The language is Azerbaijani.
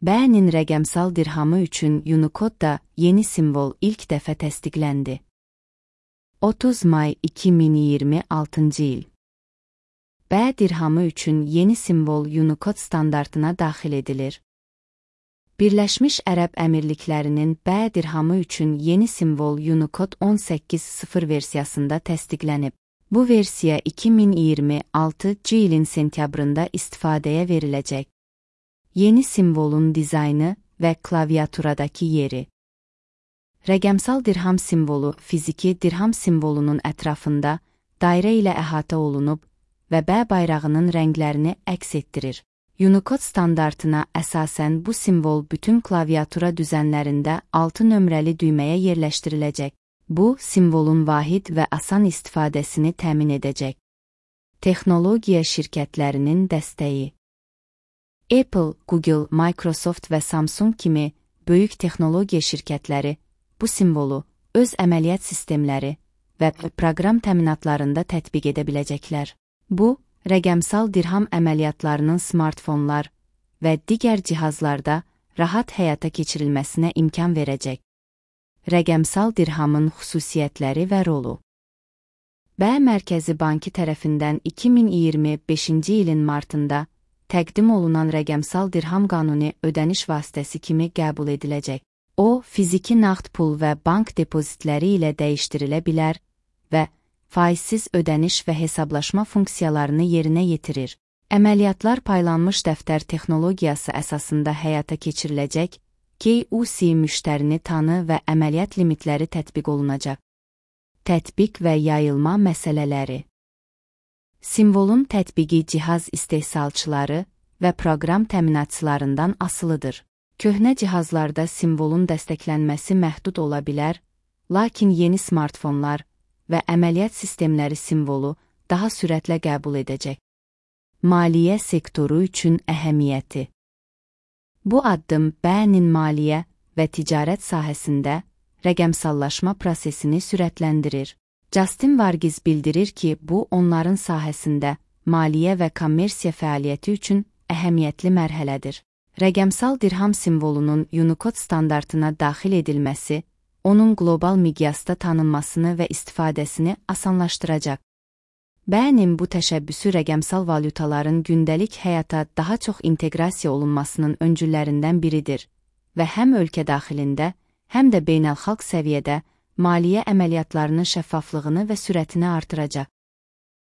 BE'nin rəqəmsal dirhamı üçün Unicode-da yeni simvol ilk dəfə təsdiqləndi. 30 may 2026 il. BE dirhamı üçün yeni simvol Unicode standartına daxil edilir. Birləşmiş Ərəb Əmirliklərinin BE dirhamı üçün yeni simvol Unicode 18.0 versiyasında təsdiqlənib. Bu versiya 2026 ilin sentyabrında istifadəyə veriləcək. Yeni simvolun dizaynı və klaviaturadakı yeri. Rəqəmsal dirham simvolu fiziki dirham simvolunun ətrafında dairə ilə əhatə olunub və BE bayrağının rənglərini əks etdirir. Unicode standartına əsasən bu simvol bütün klaviatura düzənlərində 6 nömrəli düyməyə yerləşdiriləcək. Bu, simvolun vahid və asan istifadəsini təmin edəcək. Texnologiya şirkətlərinin dəstəyi. Apple, Google, Microsoft və Samsung kimi böyük texnologiya şirkətləri bu simvolu öz əməliyyat sistemləri və proqram təminatlarında tətbiq edə biləcəklər. Bu, rəqəmsal dirham əməliyyatlarının smartfonlar və digər cihazlarda rahat həyata keçirilməsinə imkan verəcək. Rəqəmsal dirhamın xüsusiyyətləri və rolu. BE Mərkəzi Bankı tərəfindən 2025-ci ilin martında təqdim olunan rəqəmsal dirham qanuni ödəniş vasitəsi kimi qəbul ediləcək. O, fiziki nağd pul və bank depozitləri ilə dəyişdirilə bilər və faizsiz ödəniş və hesablaşma funksiyalarını yerinə yetirir. Əməliyyatlar paylanmış dəftər texnologiyası əsasında həyata keçiriləcək, KYC müştərini tanı və əməliyyat limitləri tətbiq olunacaq. Tətbiq və yayılma məsələləri. Simvolun tətbiqi cihaz istehsalçıları və proqram təminatçılarından asılıdır. Köhnə cihazlarda simvolun dəstəklənməsi məhdud ola bilər, lakin yeni smartfonlar və əməliyyat sistemləri simvolu daha sürətlə qəbul edəcək. Maliyyə sektoru üçün əhəmiyyəti. Bu addım BE'nin maliyyə və ticarət sahəsində rəqəmsallaşma prosesini sürətləndirir. Justin Vargiz bildirir ki, bu onların sahəsində maliyyə və kommersiya fəaliyyəti üçün əhəmiyyətli mərhələdir. Rəqəmsal dirham simvolunun Unicode standartına daxil edilməsi, onun qlobal miqyasda tanınmasını və istifadəsini asanlaşdıracaq. BE'nin bu təşəbbüsü rəqəmsal valyutaların gündəlik həyata daha çox inteqrasiya olunmasının öncüllərindən biridir və həm ölkə daxilində, həm də beynəlxalq səviyyədə maliyyə əməliyyatlarının şəffaflığını və sürətini artıracaq.